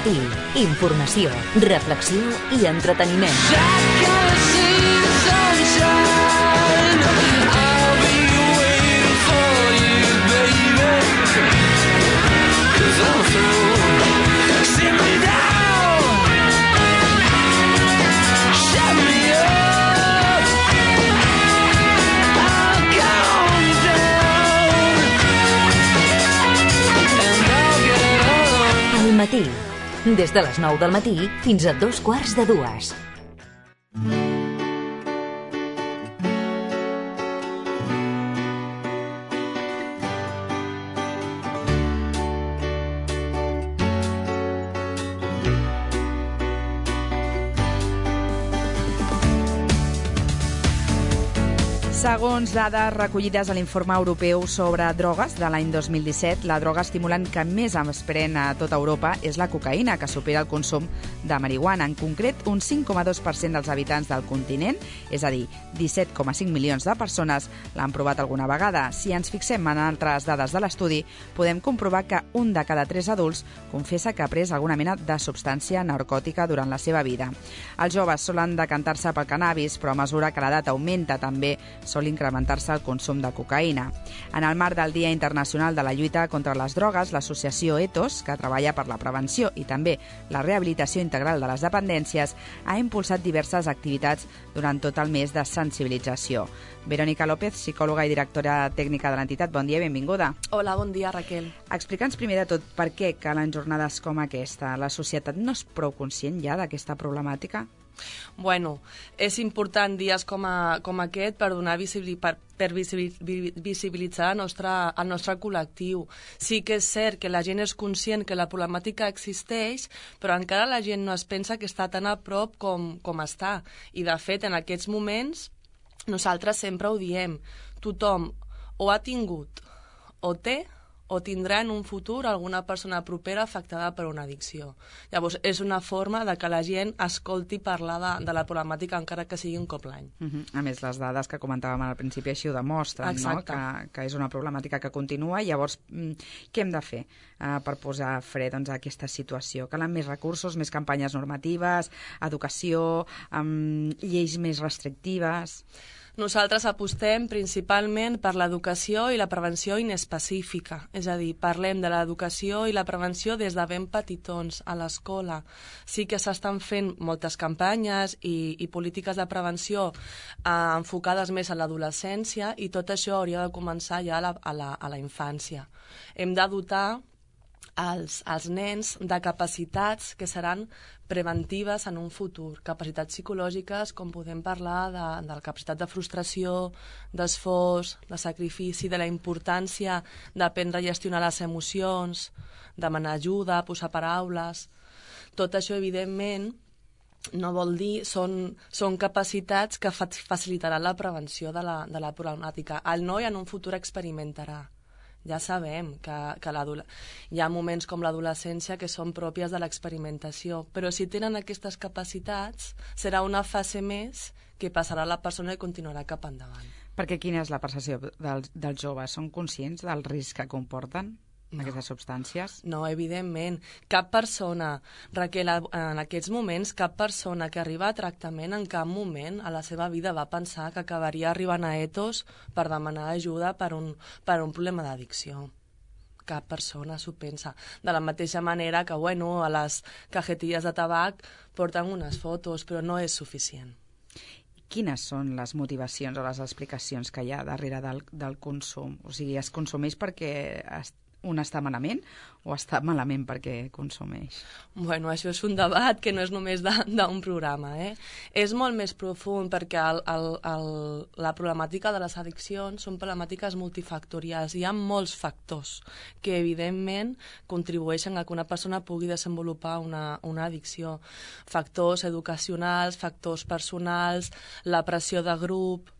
Matí. Informació, reflexió i entreteniment. Al matí. Des de les 9 del matí fins a 2:15. Segons dades recollides a l'informe europeu sobre drogues de l'any 2017, la droga estimulant que més es pren a tota Europa és la cocaïna, que supera el consum de marihuana. En concret, un 5,2% dels habitants del continent, és a dir, 17,5 milions de persones, l'han provat alguna vegada. Si ens fixem en altres dades de l'estudi, podem comprovar que un de cada 3 adults confessa que ha pres alguna mena de substància narcòtica durant la seva vida. Els joves solen decantar-se pel cannabis, però a mesura que l'edat augmenta també sol incrementar-se el consum de cocaïna. En el marc del Dia Internacional de la Lluita contra les Drogues, l'associació ETOS, que treballa per la prevenció i també la rehabilitació integral de les dependències, ha impulsat diverses activitats durant tot el mes de sensibilització. Verònica López, psicòloga i directora tècnica de l'entitat, bon dia i benvinguda. Hola, bon dia, Raquel. Explica'ns primer de tot per què calen jornades com aquesta. La societat no és prou conscient ja d'aquesta problemàtica? Bueno, és important dies com aquest per donar visibilitzar el nostre col·lectiu. Sí que és cert que la gent és conscient que la problemàtica existeix, però encara la gent no es pensa que està tan a prop com està. I, de fet, en aquests moments, nosaltres sempre ho diem. Tothom o ha tingut, o té, o tindrà en un futur alguna persona propera afectada per una addicció. Llavors, és una forma de que la gent escolti parlar de la problemàtica encara que sigui un cop l'any. A més, les dades que comentàvem al principi així ho demostren, no? Que és una problemàtica que continua. Llavors, què hem de fer per posar fre a aquesta situació? Calen més recursos, més campanyes normatives, educació, lleis més restrictives? Nosaltres apostem principalment per l'educació i la prevenció inespecífica. És a dir, parlem de l'educació i la prevenció des de ben petitons a l'escola. Sí que s'estan fent moltes campanyes i polítiques de prevenció enfocades més a l'adolescència, i tot això hauria de començar ja a la infància. Hem de dotar als nens de capacitats que seran preventives en un futur. Capacitats psicològiques, com podem parlar de la capacitat de frustració, d'esforç, de sacrifici, de la importància d'aprendre a gestionar les emocions, demanar ajuda, posar paraules. Tot això, evidentment, no vol dir, són capacitats que facilitaran la prevenció de la problemàtica. El noi en un futur experimentarà. Ja sabem que hi ha moments com l'adolescència que són pròpies de l'experimentació, però si tenen aquestes capacitats, serà una fase més que passarà la persona i continuarà cap endavant. Perquè quina és la percepció dels joves? Són conscients del risc que comporten aquestes substàncies? No, evidentment. Cap persona, Raquel, en aquests moments, cap persona que arriba a tractament en cap moment a la seva vida va pensar que acabaria arribant a ETOS per demanar ajuda per un problema d'addicció. Cap persona s'ho pensa. De la mateixa manera que, a les cajetilles de tabac porten unes fotos, però no és suficient. Quines són les motivacions o les explicacions que hi ha darrere del consum? O sigui, es consumeix perquè un està malament o està malament perquè consumeix? Bueno, això és un debat que no és només d'un programa. És molt més profund perquè la problemàtica de les addiccions són problemàtiques multifactorials. Hi ha molts factors que, evidentment, contribueixen a que una persona pugui desenvolupar una addicció. Factors educacionals, factors personals, la pressió de grup,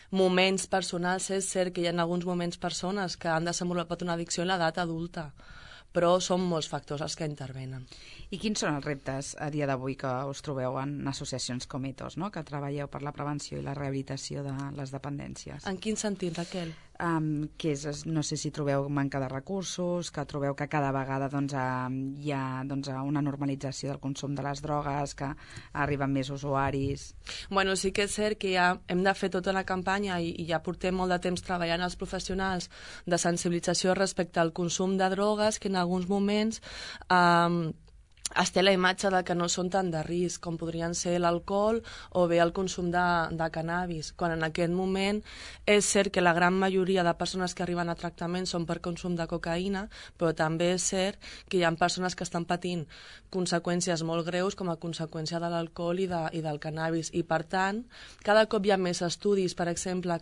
moments personals. És cert que hi ha alguns moments persones que han desenvolupat una addicció en l'edat adulta, però són molts factors els que intervenen. I quins són els reptes a dia d'avui que us trobeu en associacions com ETOS, no? Que treballeu per la prevenció i la rehabilitació de les dependències? En quin sentit, Raquel? que és, no sé si trobeu manca de recursos, que trobeu que cada vegada hi ha una normalització del consum de les drogues, que arriben més usuaris. Bueno, sí que és cert que ja hem de fer tota una campanya i ja portem molt de temps treballant els professionals de sensibilització respecte al consum de drogues, que en alguns moments es té la imatge de que no són tan de risc com podrien ser l'alcohol o bé el consum de cannabis, quan en aquest moment és cert que la gran majoria de persones que arriben a tractament són per consum de cocaïna, però també és cert que hi ha persones que estan patint conseqüències molt greus com a conseqüència de l'alcohol i del cannabis, i per tant cada cop hi ha més estudis, per exemple,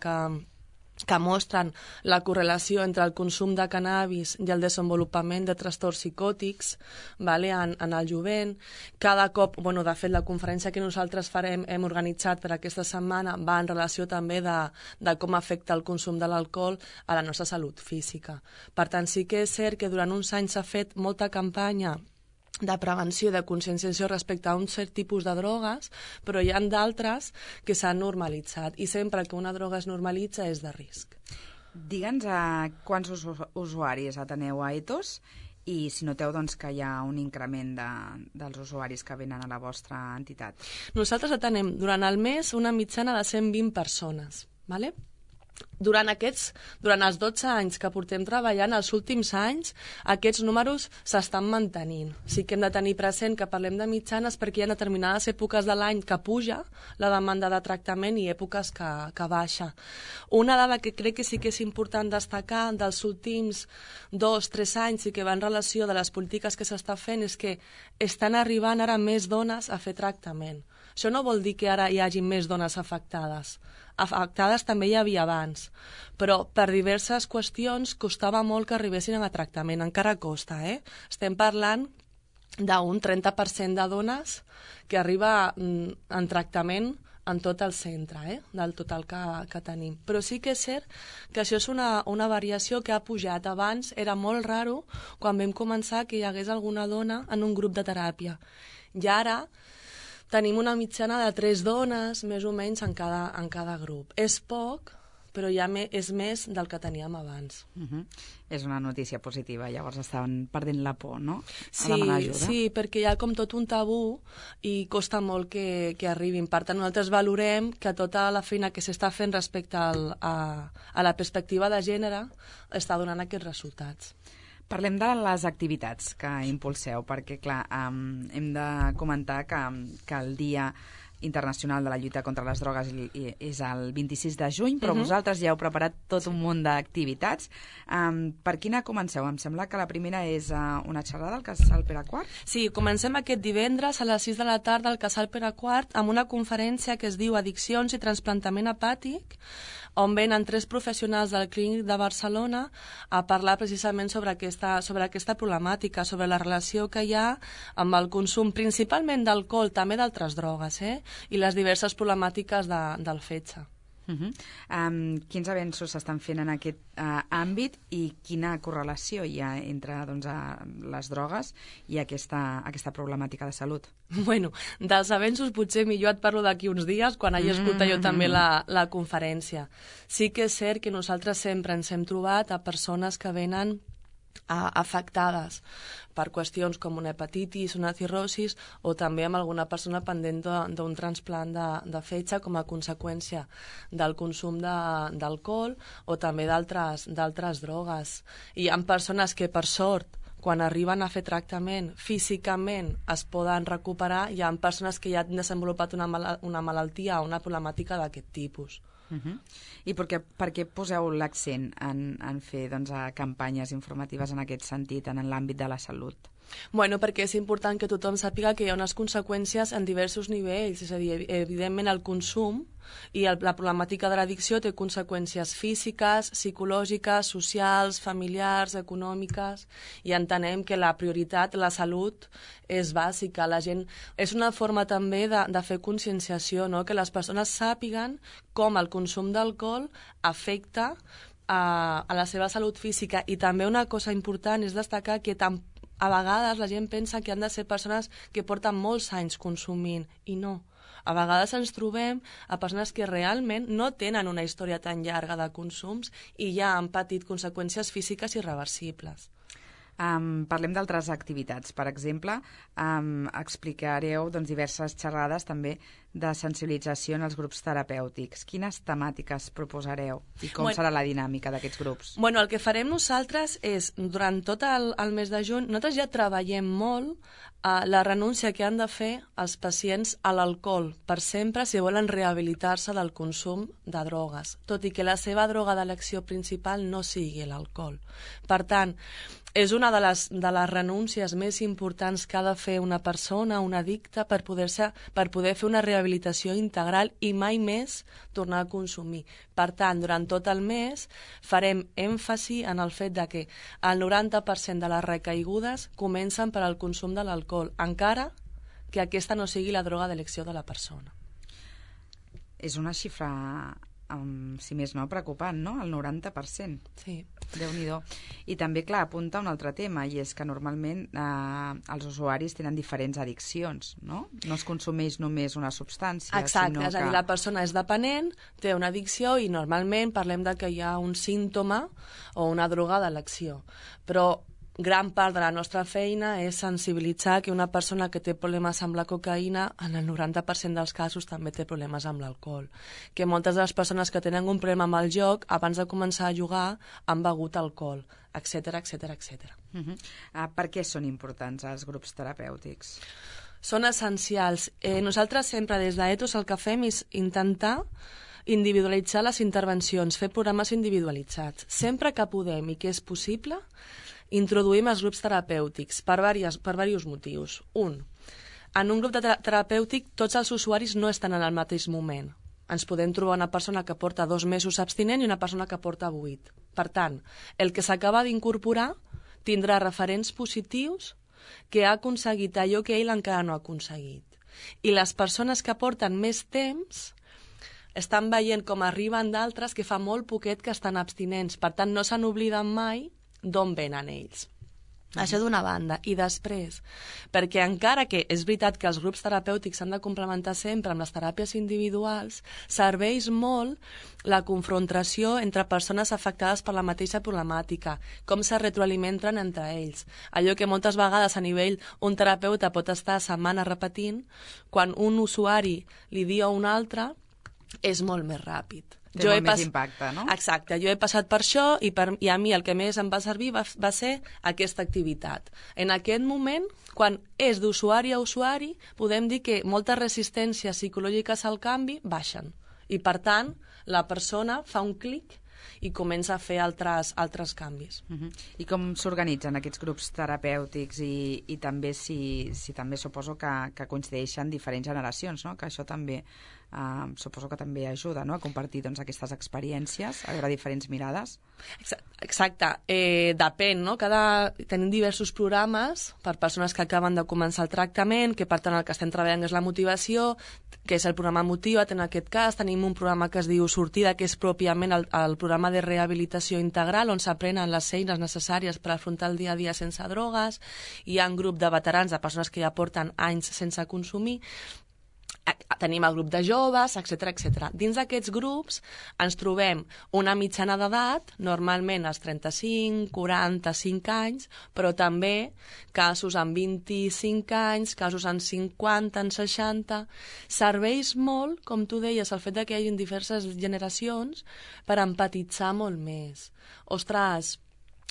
que mostren la correlació entre el consum de cannabis i el desenvolupament de trastorns psicòtics, vale, en el jovent. Cada cop, de fet, la conferència que nosaltres hem organitzat per aquesta setmana va en relació també de com afecta el consum de l'alcohol a la nostra salut física. Per tant, sí que és cert que durant uns anys s'ha fet molta campanya de prevenció i de conscienciació respecte a un cert tipus de drogues, però hi ha d'altres que s'han normalitzat, i sempre que una droga es normalitza és de risc. Digue'ns quants usuaris ateneu a Ethos i si noteu que hi ha un increment dels usuaris que venen a la vostra entitat. Nosaltres atenem durant el mes una mitjana de 120 persones, ¿vale? Durant els 12 anys que portem treballant, els últims anys, aquests números s'estan mantenint. Sí que hem de tenir present que parlem de mitjanes perquè hi ha determinades èpoques de l'any que puja la demanda de tractament i èpoques que baixa. Una dada que crec que sí que és important destacar dels últims 2-3 anys i que va en relació de les polítiques que s'està fent és que estan arribant ara més dones a fer tractament. Això no vol dir que ara hi hagi més dones afectades. Afectades també hi havia abans, però per diverses qüestions costava molt que arribessin a tractament. Encara costa, Estem parlant d'un 30% de dones que arriba en tractament en tot el centre, del total que tenim. Però sí que és cert que això és una variació que ha pujat. Abans era molt raro quan vam començar que hi hagués alguna dona en un grup de teràpia. I ara tenim una mitjana de 3 dones, més o menys, en cada grup. És poc, però ja és més del que teníem abans. És una notícia positiva, llavors estaven perdent la por, no? Sí, perquè hi ha com tot un tabú i costa molt que arribin. Per tant, nosaltres valorem que tota la feina que s'està fent respecte a la perspectiva de gènere està donant aquests resultats. Parlem de les activitats que impulseu, perquè, clar, hem de comentar que el Dia Internacional de la Lluita contra les Drogues és el 26 de juny, però vosaltres ja heu preparat tot un munt d'activitats. Per quina comenceu? Em sembla que la primera és una xerrada al Casal Pere IV. Sí, comencem aquest divendres a les 6 de la tarda al Casal Pere IV amb una conferència que es diu Addiccions i Transplantament Hepàtic, on venen 3 professionals del Clínic de Barcelona a parlar precisament sobre aquesta problemàtica, sobre la relació que hi ha amb el consum, principalment d'alcohol, també d'altres drogues, i les diverses problemàtiques del fetge. Quins avenços s'estan fent en aquest àmbit i quina correlació hi ha entre les drogues i aquesta problemàtica de salut? Bueno, dels avenços potser millor et parlo d'aquí uns dies quan hagi escoltat jo també la conferència. Sí que és cert que nosaltres sempre ens hem trobat a persones que venen afectades per qüestions com una hepatitis, una cirrosis o també amb alguna persona pendent d'un transplant de fetge com a conseqüència del consum d'alcohol o també d'altres drogues. I hi ha persones que, per sort, quan arriben a fer tractament, físicament es poden recuperar. Hi ha persones que ja han desenvolupat una malaltia o una problemàtica d'aquest tipus. I per què poseu l'accent en fer campanyes informatives en aquest sentit, en l'àmbit de la salut? Bueno, perquè és important que tothom sàpiga que hi ha unes conseqüències en diversos nivells, és a dir, evidentment el consum i la problemàtica de l'addicció té conseqüències físiques, psicològiques, socials, familiars, econòmiques, i entenem que la prioritat, la salut, és bàsica. La gent, és una forma també de fer conscienciació, no? Que les persones sàpiguen com el consum d'alcohol afecta a la seva salut física. I també una cosa important és destacar que a vegades la gent pensa que han de ser persones que porten molts anys consumint, i no. A vegades ens trobem a persones que realment no tenen una història tan llarga de consums i ja han patit conseqüències físiques irreversibles. Parlem d'altres activitats. Per exemple, explicareu diverses xerrades també de sensibilització en els grups terapèutics. Quines temàtiques proposareu i com serà la dinàmica d'aquests grups? Bueno, el que farem nosaltres és, durant tot el mes de juny, nosaltres ja treballem molt la renúncia que han de fer els pacients a l'alcohol per sempre si volen rehabilitar-se del consum de drogues, tot i que la seva droga d'elecció principal no sigui l'alcohol. Per tant, és una de les renúncies més importants que ha de fer una persona, un addicte, per poder fer una rehabilitació integral i mai més tornar a consumir. Per tant, durant tot el mes farem èmfasi en el fet de que el 90% de les recaigudes comencen per al consum de l'alcohol, encara que aquesta no sigui la droga d'elecció de la persona. És una xifra, si més no, preocupant, no? El 90%. Sí. Déu-n'hi-do. I també, clar, apunta un altre tema, i és que normalment els usuaris tenen diferents addiccions, no? No es consumeix només una substància, exacte, sinó és a dir, la persona és dependent, té una addicció i normalment parlem de que hi ha un símptoma o una droga d'elecció. Però gran part de la nostra feina és sensibilitzar que una persona que té problemes amb la cocaïna, en el 90% dels casos també té problemes amb l'alcohol. Que moltes de les persones que tenen un problema amb el joc, abans de començar a jugar, han begut alcohol, etc etc etc. Per què són importants els grups terapèutics? Són essencials. Nosaltres sempre des d'Ethos el que fem és intentar individualitzar les intervencions, fer programes individualitzats. Sempre que podem i que és possible, introduïm els grups terapèutics per diversos motius. En un grup terapèutic tots els usuaris no estan en el mateix moment. Ens podem trobar una persona que porta 2 mesos abstinent i una persona que porta 8. Per tant, el que s'acaba d'incorporar tindrà referents positius que ha aconseguit allò que ell encara no ha aconseguit. I les persones que porten més temps estan veient com arriben d'altres que fa molt poquet que estan abstinents. Per tant, no se n'obliden mai d'on venen ells. Això d'una banda. I després, perquè encara que és veritat que els grups terapèutics s'han de complementar sempre amb les teràpies individuals, serveix molt la confrontació entre persones afectades per la mateixa problemàtica, com se retroalimenten entre ells. Allò que moltes vegades a nivell un terapeuta pot estar setmanes repetint, quan un usuari li diu a un altre, és molt més ràpid. Té molt més impacte, no? Exacte, jo he passat per això i a mi el que més em va servir va ser aquesta activitat. En aquest moment, quan és d'usuari a usuari, podem dir que moltes resistències psicològiques al canvi baixen. I per tant, la persona fa un clic i comença a fer altres canvis. I com s'organitzen aquests grups terapèutics i també si també suposo que coincideixen diferents generacions, no? Que això també suposo que també ajuda, no? A compartir aquestes experiències, a veure diferents mirades. Exacte, depèn, no? Tenim diversos programes per persones que acaben de començar el tractament, que per tant el que estem treballant és la motivació, que és el programa Motiva't en aquest cas. Tenim un programa que es diu Sortida, que és pròpiament el programa de rehabilitació integral, on s'aprenen les eines necessàries per afrontar el dia a dia sense drogues. Hi ha un grup de veterans, de persones que ja porten anys sense consumir. Tenim el grup de joves, etc etc. Dins d'aquests grups ens trobem una mitjana d'edat, normalment als 35, 45 anys, però també casos amb 25 anys, casos amb 50, amb 60... Serveix molt, com tu deies, el fet que hi hagi diverses generacions per empatitzar molt més. Ostres,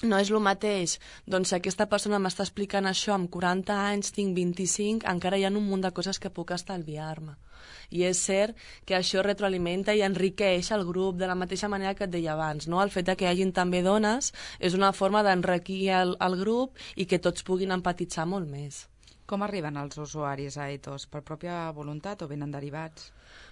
no és el mateix, doncs si aquesta persona m'està explicant això amb 40 anys, tinc 25, encara hi ha un munt de coses que puc estalviar-me. I és cert que això retroalimenta i enriqueix el grup de la mateixa manera que et deia abans, no? El fet que hi hagin també dones és una forma d'enriquir el grup i que tots puguin empatitzar molt més. Com arriben els usuaris a Ethos? Per pròpia voluntat o venen derivats?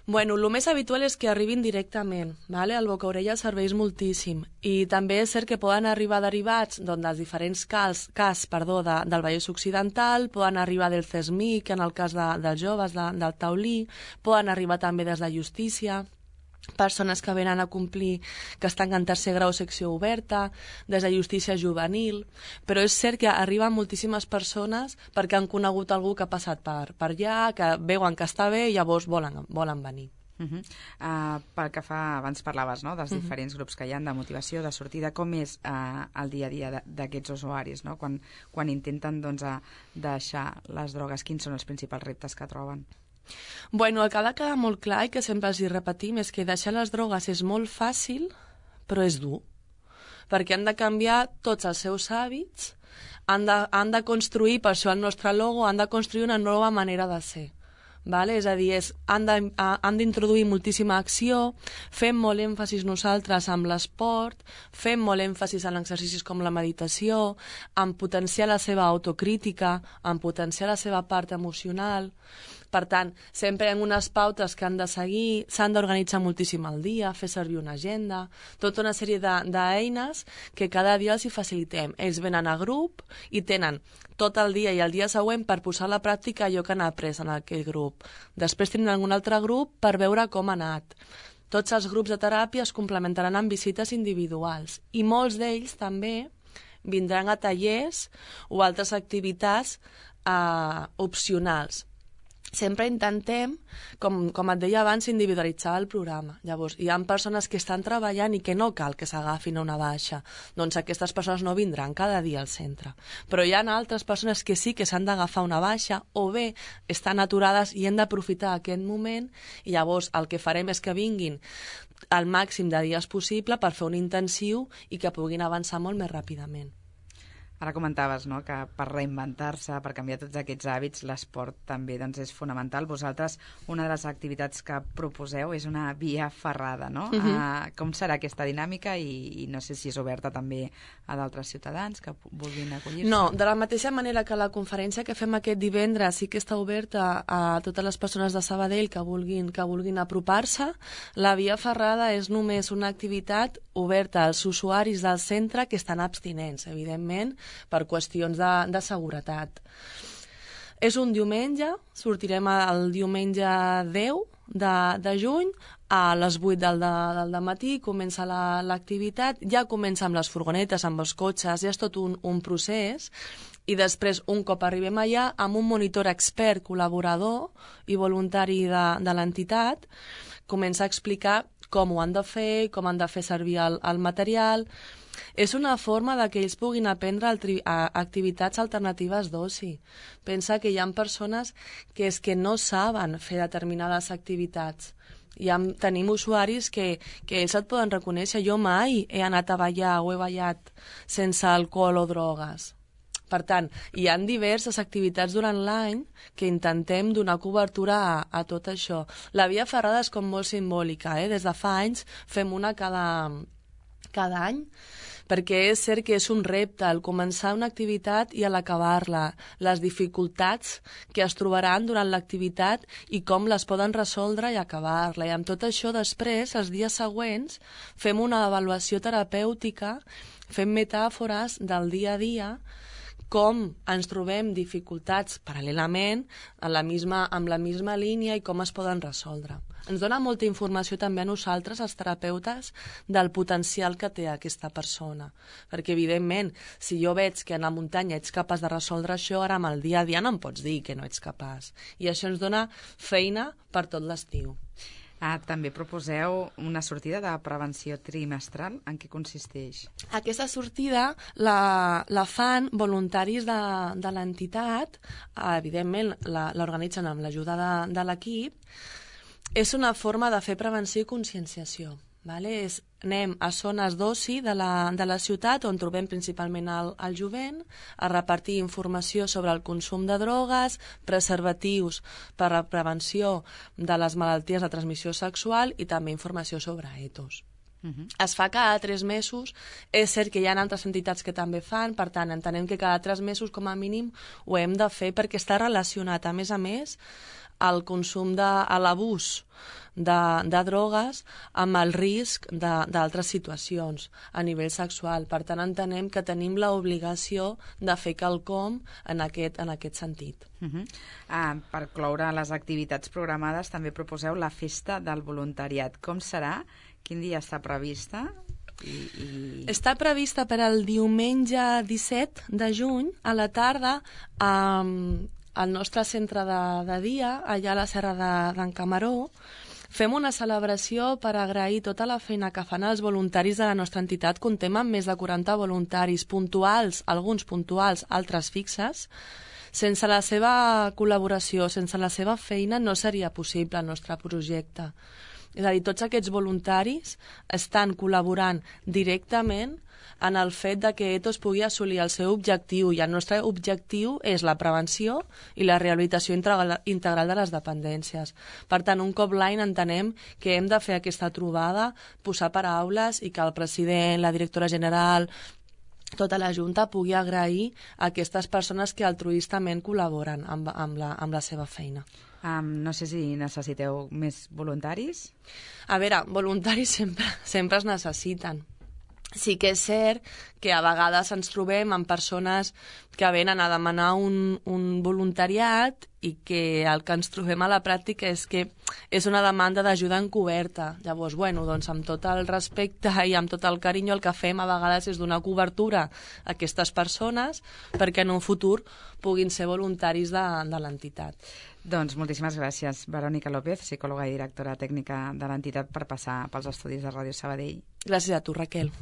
Bueno, el més habitual és que arribin directament, ¿vale? El boca-orella serveix moltíssim. I també és cert que poden arribar derivats dels diferents cas del Vallès Occidental, poden arribar del CESMIC, en el cas dels joves, del Taulí, poden arribar també des de Justícia. persones que venen a complir, que estan en tercer grau secció oberta, des de justícia juvenil, però és cert que arriben moltíssimes persones perquè han conegut algú que ha passat per allà, que veuen que està bé i llavors volen venir. Pel que fa, abans parlaves, no?, dels diferents grups que hi ha de motivació, de sortida, com és el dia a dia d'aquests usuaris, no?, quan intenten deixar les drogues, quins són els principals reptes que troben? Bueno, el que ha de quedar molt clar i que sempre els hi repetim és que deixar les drogues és molt fàcil, però és dur, perquè han de canviar tots els seus hàbits, han de construir, per això el nostre logo, han de construir una nova manera de ser. Vale? És a dir, han d'introduir moltíssima acció, fem molt èmfasis nosaltres amb l'esport, fem molt èmfasis en exercicis com la meditació, en potenciar la seva autocrítica, en potenciar la seva part emocional. Per tant, sempre hi ha unes pautes que han de seguir, s'han d'organitzar moltíssim al dia, fer servir una agenda, tota una sèrie d'eines que cada dia els hi facilitem. Ells venen a grup i tenen tot el dia i el dia següent per posar a la pràctica allò que han après en aquell grup. Després tindran algun altre grup per veure com ha anat. Tots els grups de teràpia es complementaran amb visites individuals i molts d'ells també vindran a tallers o altres activitats opcionals. Sempre intentem, com et deia abans, individualitzar el programa. Llavors, hi ha persones que estan treballant i que no cal que s'agafin a una baixa. Doncs aquestes persones no vindran cada dia al centre. Però hi ha altres persones que sí que s'han d'agafar una baixa o bé estan aturades i hem d'aprofitar aquest moment i llavors el que farem és que vinguin al màxim de dies possible per fer un intensiu i que puguin avançar molt més ràpidament. Ara comentaves, no?, que per reinventar-se, per canviar tots aquests hàbits, l'esport també és fonamental. Vosaltres, una de les activitats que proposeu és una via ferrada, no? Com serà aquesta dinàmica i no sé si és oberta també a d'altres ciutadans que vulguin acollir-se? No, de la mateixa manera que la conferència que fem aquest divendres sí que està oberta a totes les persones de Sabadell que vulguin apropar-se, la via ferrada és només una activitat oberta als usuaris del centre que estan abstinents, evidentment, per qüestions de seguretat. És un diumenge, sortirem el diumenge 10 de juny, a les 8 del matí comença l'activitat, ja comença amb les furgonetes, amb els cotxes, ja és tot un procés, i després, un cop arribem allà, amb un monitor expert, col·laborador i voluntari de l'entitat, comença a explicar com ho han de fer, com han de fer servir el material. És una forma que ells puguin aprendre activitats alternatives d'oci. Pensa que hi ha persones que és que no saben fer determinades activitats. Tenim usuaris que ells et poden reconèixer. Jo mai he anat a ballar o he ballat sense alcohol o drogues. Per tant, hi ha diverses activitats durant l'any que intentem donar cobertura a tot això. La via ferrada és com molt simbòlica, Des de fa anys fem una cada any, perquè és cert que és un repte el començar una activitat i l'acabar-la, les dificultats que es trobaran durant l'activitat i com les poden resoldre i acabar-la. I amb tot això després, els dies següents, fem una avaluació terapèutica, fem metàfores del dia a dia, com ens trobem dificultats paral·lelament amb la misma línia i com es poden resoldre. Ens dona molta informació també a nosaltres, els terapeutes, del potencial que té aquesta persona. Perquè, evidentment, si jo veig que en la muntanya ets capaç de resoldre això, ara amb el dia a dia no em pots dir que no ets capaç. I això ens dona feina per tot l'estiu. També proposeu una sortida de prevenció trimestral. En què consisteix? Aquesta sortida la fan voluntaris de l'entitat, evidentment l'organitzen amb l'ajuda de l'equip. És una forma de fer prevenció i conscienciació. Anem a zones d'oci de la ciutat on trobem principalment el jovent, a repartir informació sobre el consum de drogues, preservatius per a prevenció de les malalties de transmissió sexual i també informació sobre etos. Es fa cada 3 mesos, és cert que hi ha altres entitats que també fan, per tant, entenem que cada 3 mesos com a mínim ho hem de fer perquè està relacionat, a més, el consum l'abús de drogues amb el risc d'altres situacions a nivell sexual. Per tant, entenem que tenim l'obligació de fer quelcom en aquest sentit. Per cloure les activitats programades, també proposeu la festa del voluntariat. Com serà? Quin dia està prevista? Està prevista per al diumenge 17 de juny a la tarda al nostre centre de dia, allà a la Serra d'en Camaró. Fem una celebració per agrair tota la feina que fan els voluntaris de la nostra entitat. Comptem amb més de 40 voluntaris puntuals, alguns puntuals, altres fixes. Sense la seva col·laboració, sense la seva feina, no seria possible el nostre projecte. És a dir, tots aquests voluntaris estan col·laborant directament en el fet de que ETOS pugui assolir el seu objectiu, i el nostre objectiu és la prevenció i la rehabilitació integral de les dependències. Per tant, un cop l'any entenem que hem de fer aquesta trobada, posar paraules i que el president, la directora general, tota la Junta pugui agrair a aquestes persones que altruistament col·laboren amb la seva feina. No sé si necessiteu més voluntaris? A veure, voluntaris sempre es necessiten. Sí que és cert que a vegades ens trobem amb persones que venen a demanar un voluntariat i que el que ens trobem a la pràctica és que és una demanda d'ajuda encoberta. Llavors, doncs amb tot el respecte i amb tot el carinyo el que fem a vegades és donar cobertura a aquestes persones perquè en un futur puguin ser voluntaris de l'entitat. Doncs moltíssimes gràcies, Verònica López, psicòloga i directora tècnica de l'entitat, per passar pels estudis de Ràdio Sabadell. Gràcies a tu, Raquel.